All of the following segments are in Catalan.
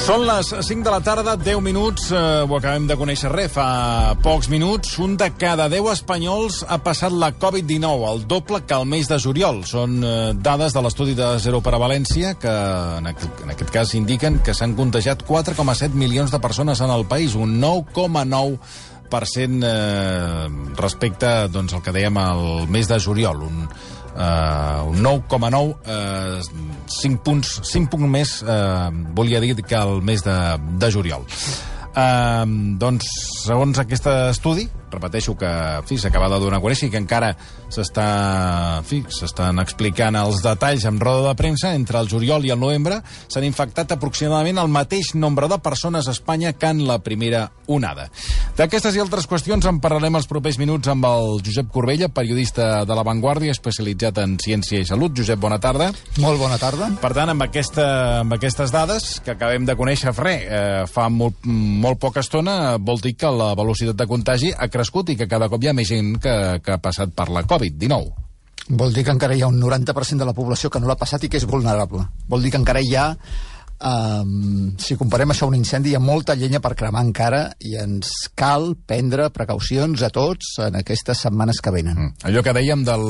Són les 5 de la tarda, 10 minuts, ho acabem de conèixer fa pocs minuts. Un de cada 10 espanyols ha passat la Covid-19, el doble que el mes de juliol. Són dades de l'estudi de Zero per a València, que en aquest cas indiquen que s'han contagiat 4,7 milions de persones en el país, un 9,9% respecte doncs, al que dèiem el mes de juliol, un 9,9, 5 punts més volia dir que el mes de juliol. Doncs, segons aquest estudi, repeteixo que s'acaba de donar a conèixer i que encara s'estan explicant els detalls en roda de premsa, entre el juliol i el novembre s'han infectat aproximadament el mateix nombre de persones a Espanya que en la primera onada. D'aquestes i altres qüestions en parlarem els propers minuts amb el Josep Corbella, periodista de La Vanguardia, especialitzat en ciència i salut. Josep, bona tarda. Molt bona tarda. Per tant, amb aquestes dades que acabem de conèixer fa molt poca estona, vol dir que la velocitat de contagi ha crescut i que cada cop hi ha més gent que ha passat per la Covid-19. Vol dir que encara hi ha un 90% de la població que no l'ha passat i que és vulnerable. Vol dir que encara hi ha, si comparem això a un incendi, hi ha molta llenya per cremar encara i ens cal prendre precaucions a tots en aquestes setmanes que venen. Allò que dèiem del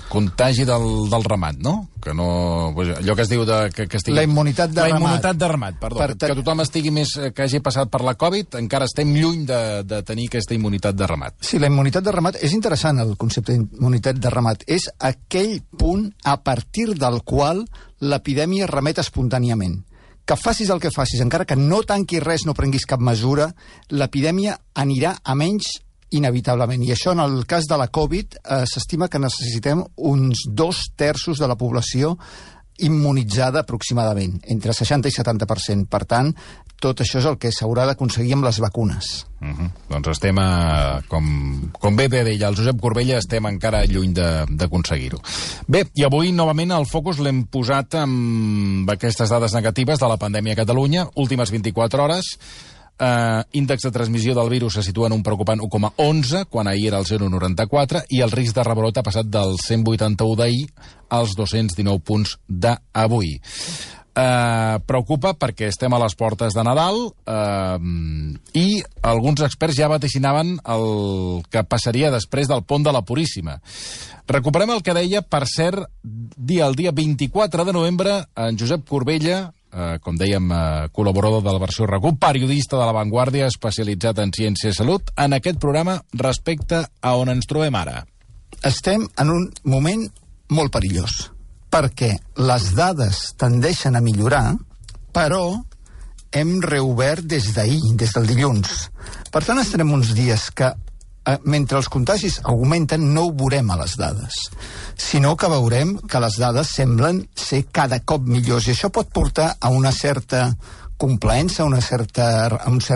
contagi del ramat, no? Que no, allò que es diu que estigui... La immunitat de ramat. La immunitat de ramat, perdó. Que tothom estigui més, que hagi passat per la Covid, encara estem lluny de tenir aquesta immunitat de ramat. Sí, la immunitat de ramat, és interessant el concepte d'immunitat de ramat. És aquell punt a partir del qual l'epidèmia remet espontàniament. Que facis el que facis, encara que no tanquis res, no prenguis cap mesura, l'epidèmia anirà a menys inevitablement. I això, en el cas de la Covid, s'estima que necessitem uns 2/3 de la població immunitzada aproximadament, entre 60 i 70%. Per tant, tot això és el que s'haurà d'aconseguir amb les vacunes. Doncs estem, com bé deia el Josep Corbella, estem encara lluny d'aconseguir-ho. Bé, i avui, novament, el focus l'hem posat amb aquestes dades negatives de la pandèmia a Catalunya, últimes 24 hores. Índex de transmissió del virus se situa en un preocupant 1,11, quan ahir era el 0,94, i el risc de rebrot ha passat del 181 d'ahir als 219 punts d'avui. Preocupa perquè estem a les portes de Nadal i alguns experts ja vaticinaven el que passaria després del pont de la Puríssima. Recuperem el que deia, per cert, el dia 24 de novembre, en Josep Corbella, com dèiem, col·laborador de la versió RAC1, periodista de La Vanguardia, especialitzat en ciència i salut, en aquest programa respecte a on ens trobem ara. Estem en un moment molt perillós, perquè les dades tendeixen a millorar, però hem reobert des d'ahir, des del dilluns. Per tant, estarem uns dies que, mentre els contagis augmenten, no ho veurem a les dades, sinó que veurem que les dades semblen ser cada cop millors, i això pot portar a una certa complaença, a un cert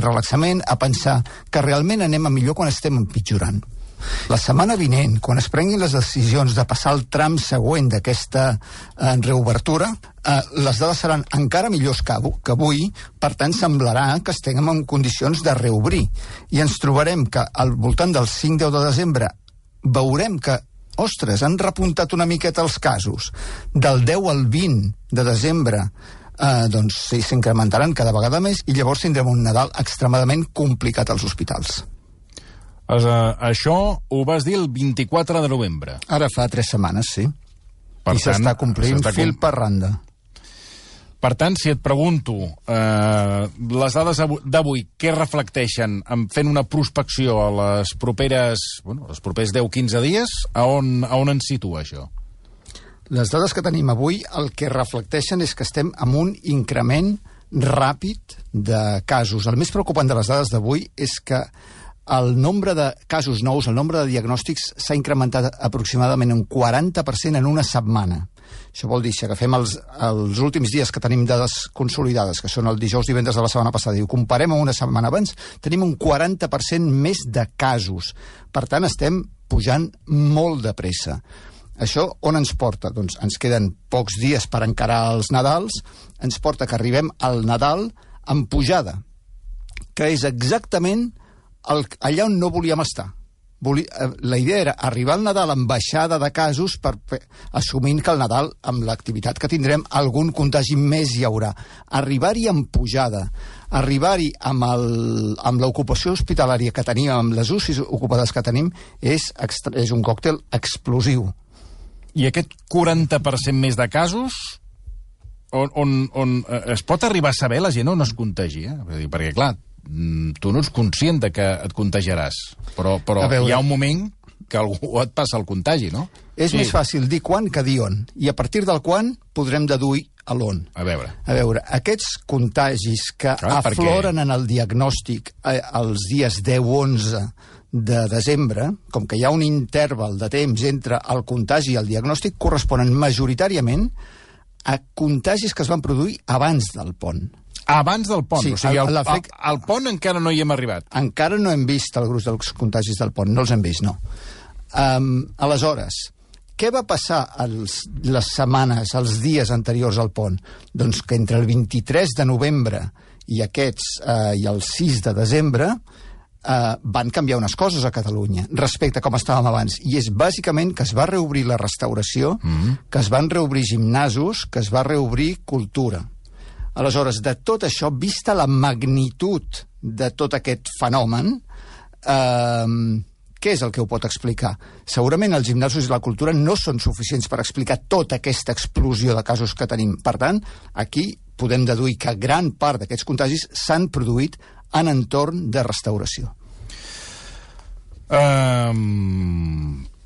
relaxament, a pensar que realment anem a millor quan estem empitjorant. La setmana vinent, quan es prenguin les decisions de passar el tram següent d'aquesta reobertura, les dades seran encara millors que avui, per tant semblarà que estem en condicions de reobrir. I ens trobarem que al voltant del 5-10 de desembre veurem que, ostres, han repuntat una miqueta els casos. Del 10 al 20 de desembre doncs s'incrementaran cada vegada més i llavors tindrem un Nadal extremadament complicat als hospitals. Això ho vas dir el 24 de novembre. Ara fa 3 setmanes, sí. I s'està complint fil per randa. Per tant, si et pregunto, les dades d'avui, què reflecteixen fent una prospecció a els propers 10-15 dies, a on ens situa això? Les dades que tenim avui el que reflecteixen és que estem amb un increment ràpid de casos. El més preocupant de les dades d'avui és que el nombre de casos nous, el nombre de diagnòstics s'ha incrementat aproximadament un 40% en una setmana. Això vol dir, si agafem els últims dies que tenim dades consolidades, que són el dijous, divendres de la setmana passada, i ho comparem amb una setmana abans, tenim un 40% més de casos. Per tant, estem pujant molt de pressa. Això on ens porta? Doncs ens queden pocs dies per encarar els Nadals, ens porta que arribem al Nadal amb pujada, que és exactament allà on no volíem estar. La idea era arribar al Nadal amb baixada de casos, assumint que al Nadal, amb l'activitat que tindrem, algun contagi més hi haurà. Arribar-hi amb pujada, arribar-hi amb l'ocupació hospitalària que tenim, amb les UCIs ocupades que tenim, és un còctel explosiu. I aquest 40% més de casos, on es pot arribar a saber la gent on es contagia? Perquè, clar, tu no ets conscient de que et contagiarààs, però hi ha un moment que algú et passa el contagi, no? És més fàcil dir quan que dir on, i a partir del quan podrem deduir a l'on. A veure, aquests contagis que afloren en el diagnòstic els dies 10-11 de desembre, com que hi ha un interval de temps entre el contagi i el diagnòstic, corresponen majoritàriament a contagis que es van produir abans del pont. Abans del pont? Sí, o sigui, al pont encara no hi hem arribat. Encara no hem vist el gruix dels contagis del pont, no els hem vist, no. Aleshores, què va passar les setmanes, els dies anteriors al pont? Doncs que entre el 23 de novembre i el 6 de desembre van canviar unes coses a Catalunya respecte a com estàvem abans, i és bàsicament que es va reobrir la restauració, que es van reobrir gimnasos, que es va reobrir cultura. Aleshores, de tot això, vista la magnitud de tot aquest fenomen, què és el que ho pot explicar? Segurament els gimnasos i la cultura no són suficients per explicar tota aquesta explosió de casos que tenim. Per tant, aquí podem deduir que gran part d'aquests contagis s'han produït en entorn de restauració.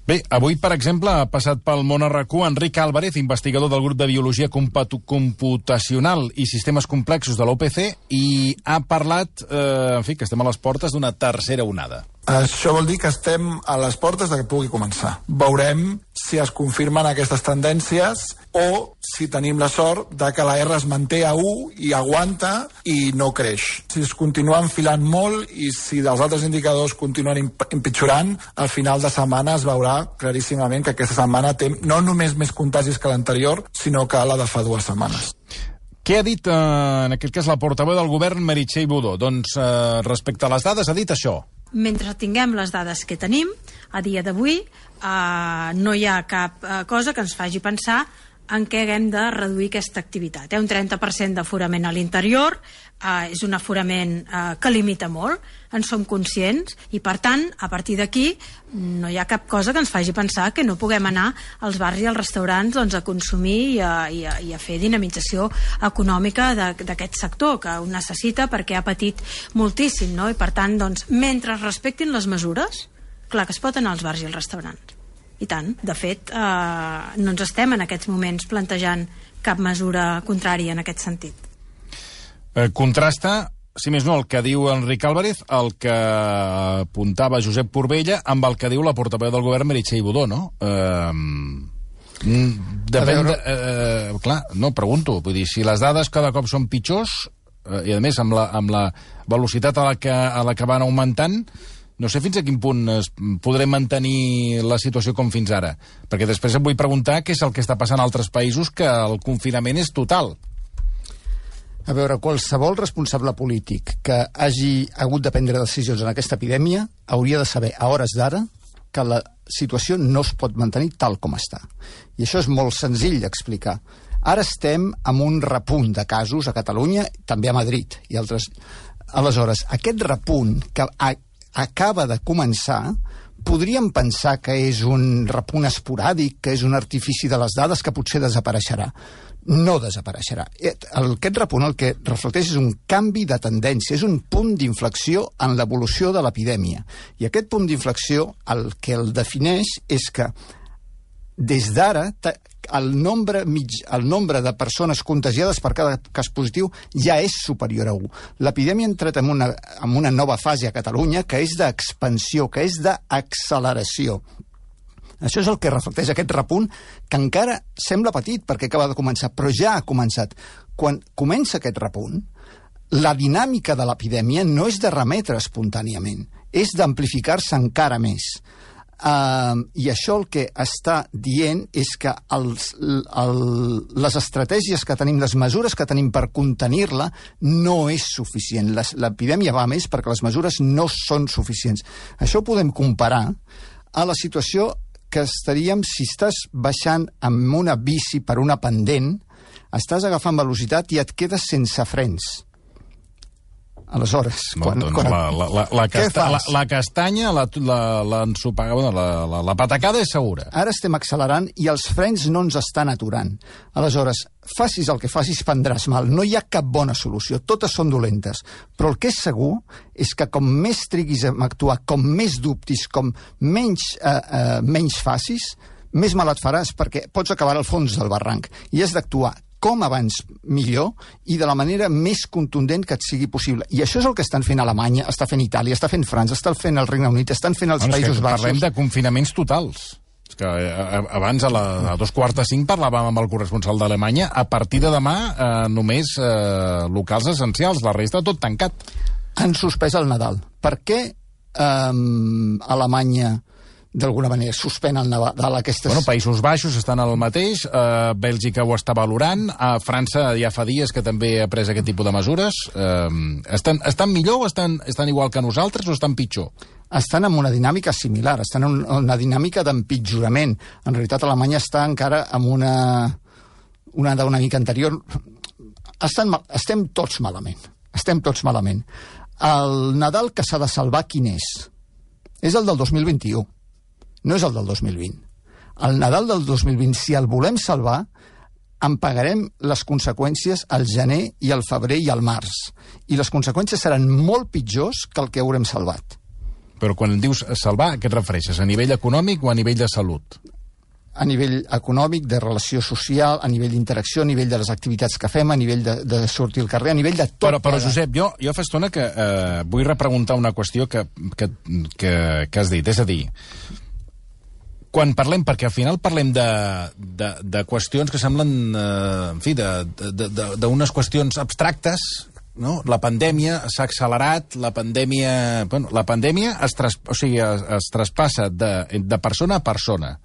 Bé, avui, per exemple, ha passat pel món RAC1 Enric Álvarez, investigador del grup de Biologia Computacional i Sistemes Complexos de la UPC, i ha parlat, que estem a les portes d'una tercera onada. Això vol dir que estem a les portes de que pugui començar. Veurem si es confirmen aquestes tendències o si tenim la sort de que la R es manté a 1 i aguanta i no creix. Si es continua enfilant molt i si dels altres indicadors continuen empitjorant, al final de setmana es veurà claríssimament que aquesta setmana té no només més contagis que l'anterior, sinó que la de fa 2 setmanes. Què ha dit, en aquest cas, la portaveu del govern, Meritxell Budó? Doncs, respecte a les dades, ha dit això. Mentre tinguem les dades que tenim, a dia d'avui, no hi ha cap cosa que ens faci pensar en què haguem de reduir aquesta activitat. Un 30% d'aforament a l'interior és un aforament que limita molt, en som conscients, i per tant, a partir d'aquí, no hi ha cap cosa que ens faci pensar que no puguem anar als bars i als restaurants a consumir i a fer dinamització econòmica d'aquest sector, que ho necessita perquè ha patit moltíssim, no? I per tant, mentre es respectin les mesures, clar que es pot anar als bars i als restaurants. I tant, de fet, no ens estem en aquests moments plantejant cap mesura contrària en aquest sentit. Contrasta, si més no, el que diu Enric Álvarez, el que apuntava Josep Corbella, amb el que diu la portaveu del govern, Meritxell Budó, no? Depèn clar, no, pregunto, vull dir, si les dades cada cop són pitjors, i a més amb la velocitat a la que van augmentant, no sé fins a quin punt podrem mantenir la situació com fins ara. Perquè després em vull preguntar què és el que està passant a altres països, que el confinament és total. A veure, qualsevol responsable polític que hagi hagut de prendre decisions en aquesta epidèmia hauria de saber, a hores d'ara, que la situació no es pot mantenir tal com està. I això és molt senzill d'explicar. Ara estem amb un repunt de casos a Catalunya, també a Madrid i altres. Aleshores, aquest repunt que acaba de començar, podríem pensar que és un repunt esporàdic, que és un artifici de les dades que potser desapareixerà. No desapareixerà. Aquest repunt el que reflecteix és un canvi de tendència, és un punt d'inflexió en l'evolució de l'epidèmia. I aquest punt d'inflexió el que el defineix és que des d'ara el nombre de persones contagiades per cada cas positiu ja és superior a 1. L'epidèmia ha entrat en una nova fase a Catalunya que és d'expansió, que és d'acceleració. Això és el que reflecteix aquest repunt, que encara sembla petit perquè acaba de començar, però ja ha començat. Quan comença aquest repunt, la dinàmica de l'epidèmia no és de remetre espontàniament, és d'amplificar-se encara més. I això el que està dient és que les estratègies que tenim, les mesures que tenim per contenir-la, no és suficient. L'epidèmia va més perquè les mesures no són suficients. Això ho podem comparar a la situació que estaríem si estàs baixant amb una bici per una pendent, estàs agafant velocitat i et quedes sense frens. Aleshores, la castanya, la patacada és segura. Ara estem accelerant i els frens no ens estan aturant. Aleshores, facis el que facis, prendràs mal. No hi ha cap bona solució, totes són dolentes. Però el que és segur és que com més triguis a actuar, com més dubtis, com menys facis, més mal et faràs, perquè pots acabar al fons del barranc. I has d'actuar com abans millor i de la manera més contundent que et sigui possible. I això és el que estan fent Alemanya, està fent Itàlia, està fent França, està fent el Regne Unit, estan fent els Països Baixos. Parlem de confinaments totals. És que abans, a 4:45, parlàvem amb el corresponsal d'Alemanya. A partir de demà, només locals essencials, la resta tot tancat. Han suspès el Nadal. Per què Alemanya d'alguna manera suspèn el Nadal aquestes... Països Baixos estan al mateix, Bèlgica ho està valorant, a França ja fa dies que també ha pres aquest tipus de mesures. Estan millor o estan igual que nosaltres o estan pitjor? Estan en una dinàmica similar, estan en una dinàmica d'empitjorament. En realitat, Alemanya està encara en una dinàmica anterior. Estem tots malament. El Nadal que s'ha de salvar, quin és? És el del 2021. No és el del 2020. El Nadal del 2020, si el volem salvar, en pagarem les conseqüències al gener i al febrer i al març. I les conseqüències seran molt pitjors que el que haurem salvat. Però quan dius salvar, a què et refereixes? A nivell econòmic o a nivell de salut? A nivell econòmic, de relació social, a nivell d'interacció, a nivell de les activitats que fem, a nivell de sortir al carrer, a nivell de tot. Però Josep, jo fa estona que vull repreguntar una qüestió que has dit. És a dir, quan parlem, perquè al final parlem de qüestions que semblen, en fi, d'unes qüestions abstractes, no? La pandèmia s'ha accelerat, la pandèmia es traspassa de persona a persona.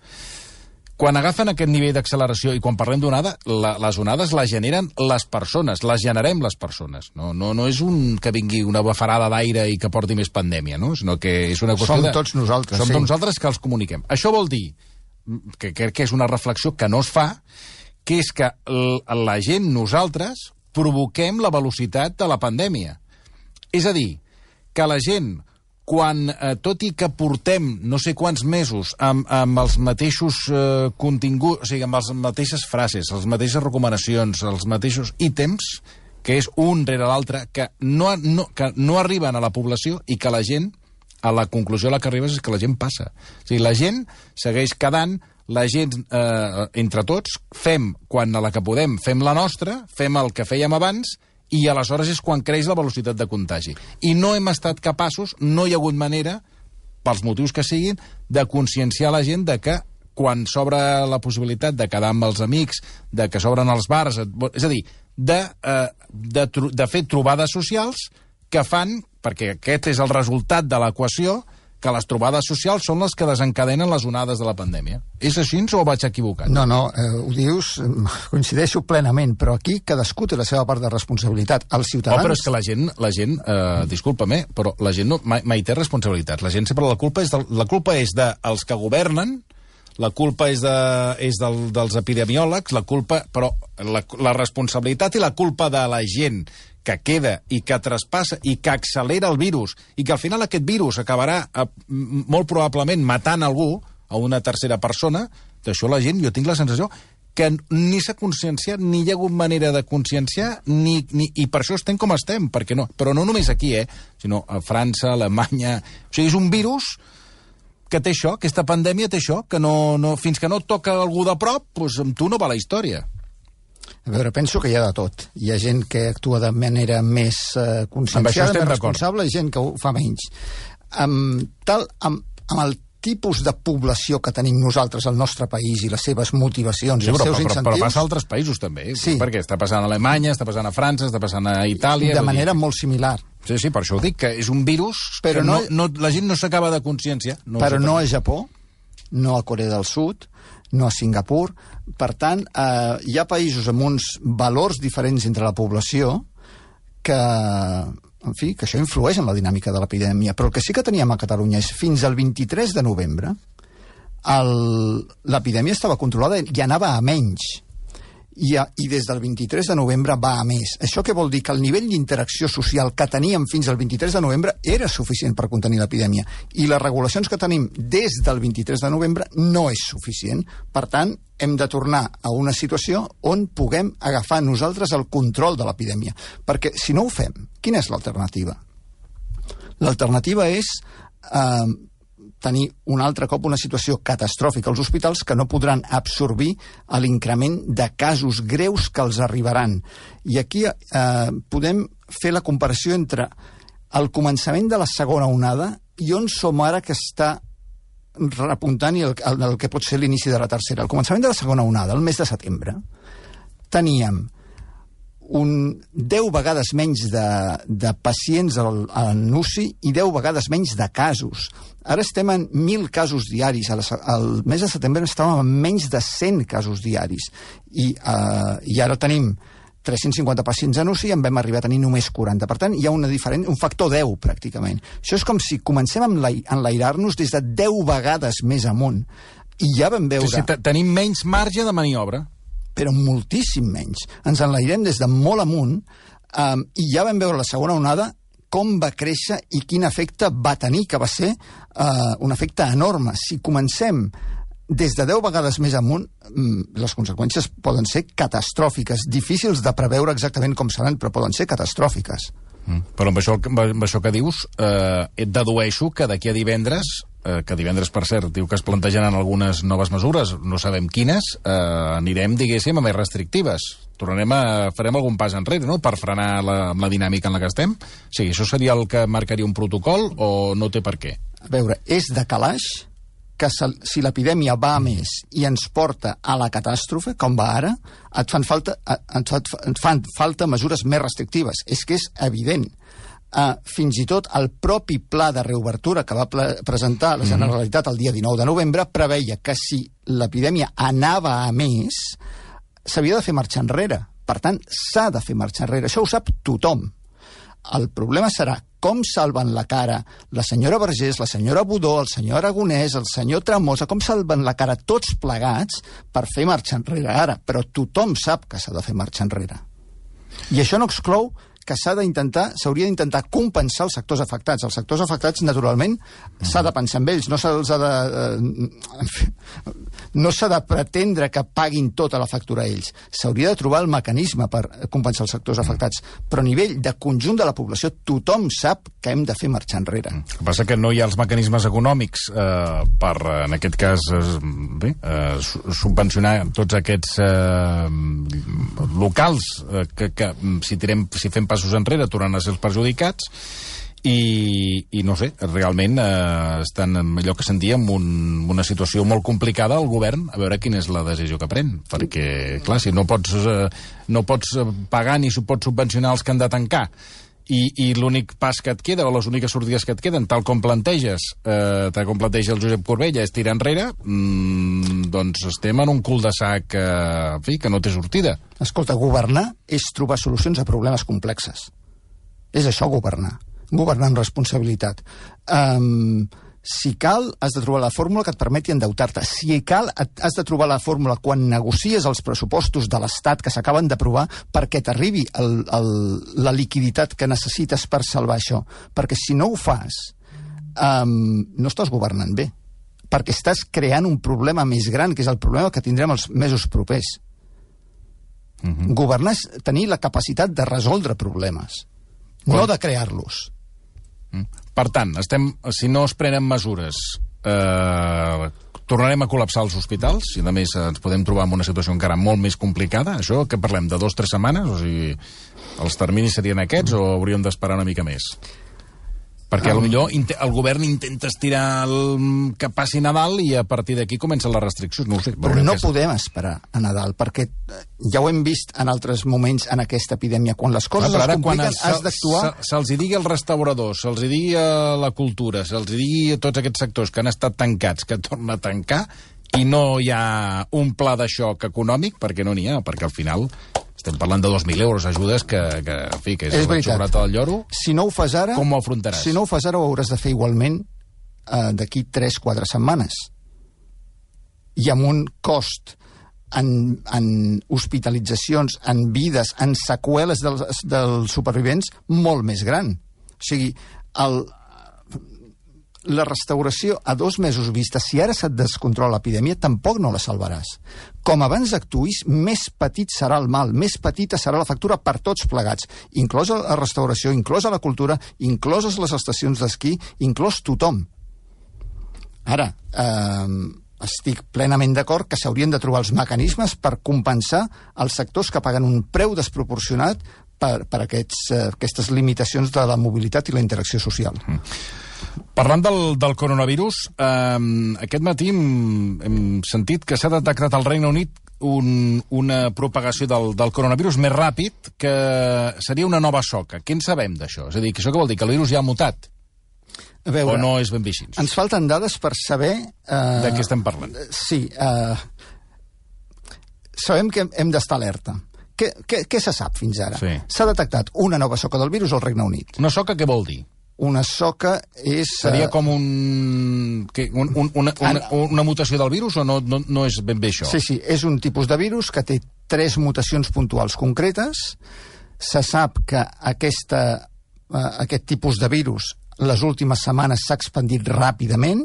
Quan agafen aquest nivell d'acceleració i quan parlem d'onada, les onades les generen les persones, les generem les persones. No és que vingui una bafarada d'aire i que porti més pandèmia, no? Sinó que és una qüestió Som tots nosaltres, Som tots nosaltres que els comuniquem. Això vol dir, que crec que és una reflexió que no es fa, que és que la gent, nosaltres, provoquem la velocitat de la pandèmia. És a dir, que la gent, quan, tot i que portem no sé quants mesos amb els mateixos continguts, o sigui, amb les mateixes frases, les mateixes recomanacions, els mateixos ítems, que és un rere l'altre, que no arriben a la població i que la gent, a la conclusió a la que arribes és que la gent passa. O sigui, la gent segueix quedant, la gent, entre tots, quan a la que podem, fem la nostra, fem el que fèiem abans, i aleshores és quan creix la velocitat de contagi. I no hem estat capaços, no hi ha hagut manera, pels motius que siguin, de conscienciar la gent de que quan s'obre la possibilitat de quedar amb els amics, de que s'obren els bars, és a dir, de fer trobades socials que fan, perquè aquest és el resultat de l'equació, que les trobades socials són les que desencadenen les onades de la pandèmia. És així o vaig equivocat? No, ho dius, coincideixo plenament, però aquí cadascú té la seva part de responsabilitat. Els ciutadans... però és que la gent disculpa-me, però la gent mai té responsabilitat. La gent sempre la culpa és dels que governen, la culpa és dels epidemiòlegs, però la responsabilitat i la culpa de la gent que queda i que traspassa i que accelera el virus i que al final aquest virus acabarà molt probablement matant algú, a una tercera persona, d'això la gent, jo tinc la sensació que ni s'ha conscienciat, ni hi ha hagut manera de conscienciar, i per això estem com estem, perquè no, però no només aquí, sinó a França, Alemanya... O sigui, és un virus que té això, aquesta pandèmia té això, que fins que no toca algú de prop, doncs amb tu no va la història. A veure, penso que hi ha de tot. Hi ha gent que actua de manera més conscienciada, més responsable, i gent que ho fa menys. Amb el tipus de població que tenim nosaltres al nostre país i les seves motivacions i els seus incentius... Però passa a altres països, també. Sí. Perquè està passant a Alemanya, està passant a França, està passant a Itàlia... De manera molt similar. Sí, per això ho dic, que és un virus que la gent no s'acaba de conscienciar. Però no a Japó, no a Corea del Sud, no a Singapur. Per tant, hi ha països amb uns valors diferents entre la població que, en fi, que això influeix en la dinàmica de l'epidèmia. Però el que sí que teníem a Catalunya és fins al 23 de novembre l'epidèmia estava controlada i anava a menys. I des del 23 de novembre va a més. Això què vol dir? Que el nivell d'interacció social que teníem fins al 23 de novembre era suficient per contenir l'epidèmia. I les regulacions que tenim des del 23 de novembre no és suficient. Per tant, hem de tornar a una situació on puguem agafar nosaltres el control de l'epidèmia. Perquè si no ho fem, quina és l'alternativa? L'alternativa és tenir un altre cop una situació catastròfica als hospitals que no podran absorbir l'increment de casos greus que els arribaran. I aquí podem fer la comparació entre el començament de la segona onada i on som ara que està repuntant i el que pot ser l'inici de la tercera. Al començament de la segona onada, el mes de setembre, teníem 10 vegades menys de pacients en UCI i 10 vegades menys de casos. Ara estem en 1.000 casos diaris. Al mes de setembre estàvem en menys de 100 casos diaris. I ara tenim 350 pacients en UCI i en vam arribar a tenir només 40. Per tant, hi ha un factor 10, pràcticament. Això és com si comencem a enlairar-nos des de 10 vegades més amunt. I ja vam veure... Sí, tenim menys marge de maniobra. Però moltíssim menys. Ens enlairem des de molt amunt i ja vam veure la segona onada com va créixer i quin efecte va tenir, que va ser un efecte enorme. Si comencem des de 10 vegades més amunt, les conseqüències poden ser catastròfiques, difícils de preveure exactament com seran, però poden ser catastròfiques. Però amb això que dius, et dedueixo que d'aquí a divendres, que divendres, per cert, diu que es plantejaran algunes noves mesures, no sabem quines, anirem, diguéssim, a més restrictives. Farem algun pas enrere, no?, per frenar amb la dinàmica en la que estem. O sigui, això seria el que marcaria un protocol o no té per què? A veure, és de calaix que si l'epidèmia va a més i ens porta a la catàstrofe, com va ara, et fan falta mesures més restrictives. És que és evident. Fins i tot el propi pla de reobertura que va presentar la Generalitat el dia 19 de novembre preveia que si l'epidèmia anava a més, s'havia de fer marxa enrere. Per tant, s'ha de fer marxa enrere. Això ho sap tothom. El problema serà com salven la cara la senyora Vergés, la senyora Budó, el senyor Aragonès, el senyor Tremosa, com salven la cara tots plegats per fer marxa enrere ara. Però tothom sap que s'ha de fer marxa enrere. I això no exclou que s'hauria d'intentar compensar els sectors afectats. Els sectors afectats, naturalment, s'ha de pensar en ells, no s'ha de pretendre que paguin tota la factura a ells. S'hauria de trobar el mecanisme per compensar els sectors afectats. Però a nivell de conjunt de la població, tothom sap que hem de fer marxar enrere. El que passa que no hi ha els mecanismes econòmics per, en aquest cas, subvencionar tots aquests locals que si fem passos enrere tornen a ser els perjudicats i no sé, realment estan en allò que sentíem una situació molt complicada al govern, a veure quina és la decisió que pren, perquè clar, si no pots pagar ni pots subvencionar els que han de tancar i l'únic pas que et queda, o les úniques sortides que et queden, tal com planteja el Josep Corbella, és tirar enrere, doncs estem en un cul-de-sac que no té sortida. Escolta, governar és trobar solucions a problemes complexes. És això, governar amb responsabilitat. Si cal, has de trobar la fórmula que et permeti endeutar-te. Si cal, has de trobar la fórmula quan negocies els pressupostos de l'Estat que s'acaben d'aprovar perquè t'arribi la liquiditat que necessites per salvar això. Perquè si no ho fas, no estàs governant bé. Perquè estàs creant un problema més gran, que és el problema que tindrem els mesos propers. Governar és tenir la capacitat de resoldre problemes, no de crear-los. Per tant, si no es prenen mesures, tornarem a col·lapsar els hospitals i, a més, ens podem trobar en una situació encara molt més complicada. Això, què parlem, de 2 o 3 setmanes? O sigui, els terminis serien aquests o hauríem d'esperar una mica més? Perquè potser el govern intenta estirar que passi Nadal i a partir d'aquí comencen les restriccions. No ho sé. Però no podem esperar a Nadal, perquè ja ho hem vist en altres moments en aquesta epidèmia. Quan les coses es compliquen, has d'actuar... Se'ls digui als restauradors, se'ls digui a la cultura, se'ls digui a tots aquests sectors que han estat tancats, que tornen a tancar, i no hi ha un pla de xoc econòmic, perquè no n'hi ha, perquè al final... Estem parlant de 2.000 euros, ajudes que és la xocolata del lloro. Si no ho fas ara, com ho afrontaràs? Si no ho fas ara, ho hauràs de fer igualment d'aquí 3-4 setmanes. I amb un cost en hospitalitzacions, en vides, en seqüeles dels supervivents molt més gran. O sigui, la restauració a 2 mesos vista, si ara se't descontrola l'epidèmia, tampoc no la salvaràs. Com abans actuïs, més petit serà el mal, més petita serà la factura per tots plegats, inclosa la restauració, inclosa la cultura, incloses les estacions d'esquí, inclòs tothom. Ara, estic plenament d'acord que s'haurien de trobar els mecanismes per compensar els sectors que paguen un preu desproporcionat per aquestes limitacions de la mobilitat i la interacció social. Parlant del coronavirus, aquest matí hem sentit que s'ha detectat al Regne Unit una propagació del coronavirus més ràpid, que seria una nova soca. Què en sabem d'això? És a dir, que això què vol dir? Que el virus ja ha mutat? A veure, o no és ben bé així? Ens falten dades per saber... De què estem parlant? Sí. Sabem que hem d'estar alerta. Què se sap fins ara? Sí. S'ha detectat una nova soca del virus al Regne Unit. Una soca què vol dir? Una soca és... Seria com una mutació del virus o no és ben bé això? Sí, és un tipus de virus que té 3 mutacions puntuals concretes. Se sap que aquest tipus de virus les últimes setmanes s'ha expandit ràpidament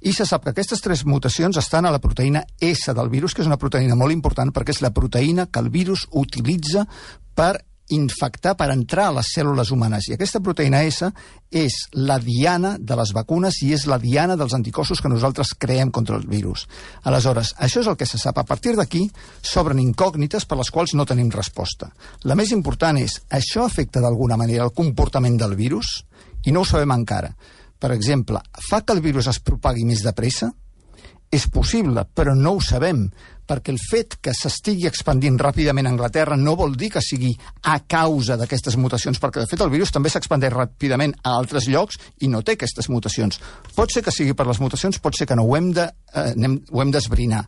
i se sap que aquestes 3 mutacions estan a la proteïna S del virus, que és una proteïna molt important perquè és la proteïna que el virus utilitza per infectar, per entrar a les cèl·lules humanes. I aquesta proteïna S és la diana de les vacunes i és la diana dels anticossos que nosaltres creem contra el virus. Aleshores, això és el que se sap. A partir d'aquí s'obren incògnites per les quals no tenim resposta. La més important és, això afecta d'alguna manera el comportament del virus? I no ho sabem encara. Per exemple, fa que el virus es propagui més de pressa? És possible, però no ho sabem, perquè el fet que s'estigui expandint ràpidament a Anglaterra no vol dir que sigui a causa d'aquestes mutacions, perquè de fet el virus també s'expandeix ràpidament a altres llocs i no té aquestes mutacions. Pot ser que sigui per les mutacions, pot ser que no, ho hem d'esbrinar.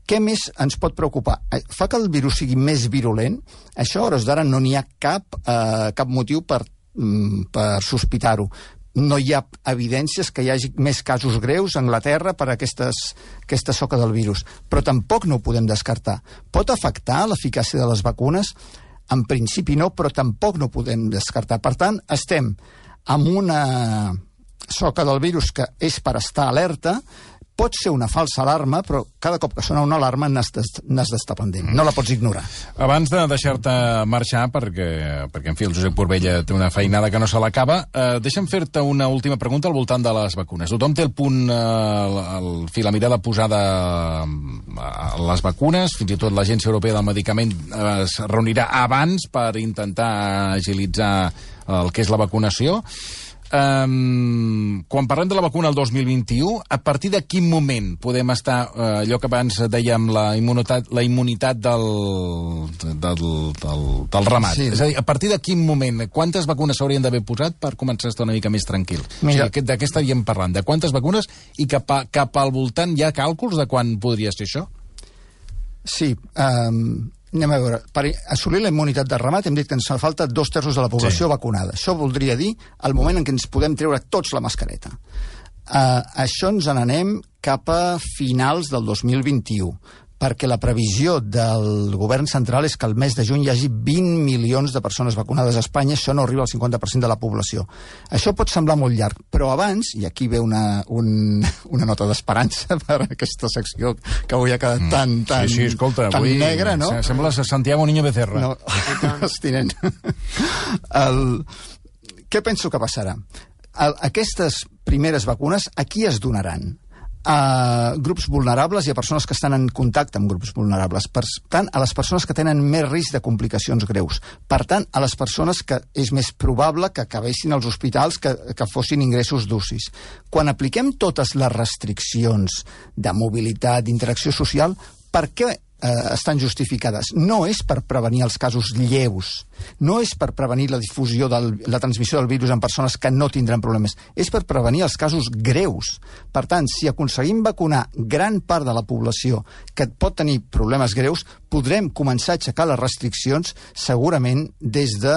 Què més ens pot preocupar? Fa que el virus sigui més virulent? Això, a hores d'ara, no n'hi ha cap motiu per sospitar-ho. No hi ha evidències que hi hagi més casos greus a Anglaterra per aquesta soca del virus, però tampoc no ho podem descartar. Pot afectar l'eficàcia de les vacunes? En principi no, però tampoc no ho podem descartar. Per tant, estem amb una soca del virus que és per estar alerta. Pot ser una falsa alarma, però cada cop que sona una alarma n'has d'estar pendent. No la pots ignorar. Abans de deixar-te marxar, perquè en fi, el Josep Corbella té una feinada que no se l'acaba, deixa'm fer-te una última pregunta al voltant de les vacunes. Tothom té el punt, la mirada posada a les vacunes, fins i tot l'Agència Europea del Medicament es reunirà abans per intentar agilitzar el que és la vacunació. Quan parlem de la vacuna el 2021, a partir de quin moment podem estar, allò que abans dèiem, la immunitat del ramat? Sí. És a dir, a partir de quin moment, quantes vacunes s'haurien d'haver posat per començar a estar una mica més tranquil? Mira, o sigui, de què estaríem parlant? De quantes vacunes? I cap al voltant hi ha càlculs de quan podria ser això? Sí, anem a veure. Per assolir la immunitat de ramat hem dit que ens fa falta 2/3 de la població vacunada. Això voldria dir el moment en què ens podem treure tots la mascareta. Això ens n'anem cap a finals del 2021, perquè la previsió del govern central és que el mes de juny hi hagi 20 milions de persones vacunades a Espanya. Això no arriba al 50% de la població. Això pot semblar molt llarg, però abans, i aquí ve una nota d'esperança per aquesta secció que avui ha quedat tan negra, no? Sembla Santiago Niño Becerra. No, estirent. Què penso que passarà? Aquestes primeres vacunes a qui es donaran? a grups vulnerables i a persones que estan en contacte amb grups vulnerables. Per tant, a les persones que tenen més risc de complicacions greus. Per tant, a les persones que és més probable que acabessin als hospitals que fossin ingressos d'UCIs. Quan apliquem totes les restriccions de mobilitat, d'interacció social, per què estan justificades? No és per prevenir els casos lleus, no és per prevenir la difusió la transmissió del virus en persones que no tindran problemes, és per prevenir els casos greus. Per tant, si aconseguim vacunar gran part de la població que pot tenir problemes greus, podrem començar a aixecar les restriccions segurament des de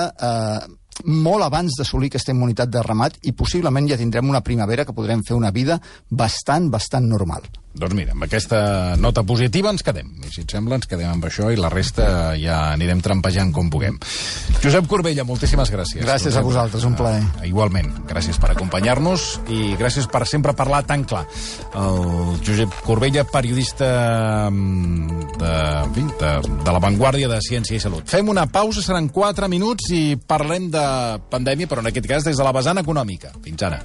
molt abans d'assolir aquesta immunitat de ramat, i possiblement ja tindrem una primavera que podrem fer una vida bastant normal. Doncs mira, amb aquesta nota positiva ens quedem. I si et sembla, ens quedem amb això i la resta ja anirem trampejant com puguem. Josep Corbella, moltíssimes gràcies. Gràcies a vosaltres, un plaer. Igualment, gràcies per acompanyar-nos i gràcies per sempre parlar tan clar. El Josep Corbella, periodista de La Vanguardia de Ciència i Salut. Fem una pausa, seran 4 minuts i parlem de pandèmia, però en aquest cas des de la vessant econòmica. Fins ara.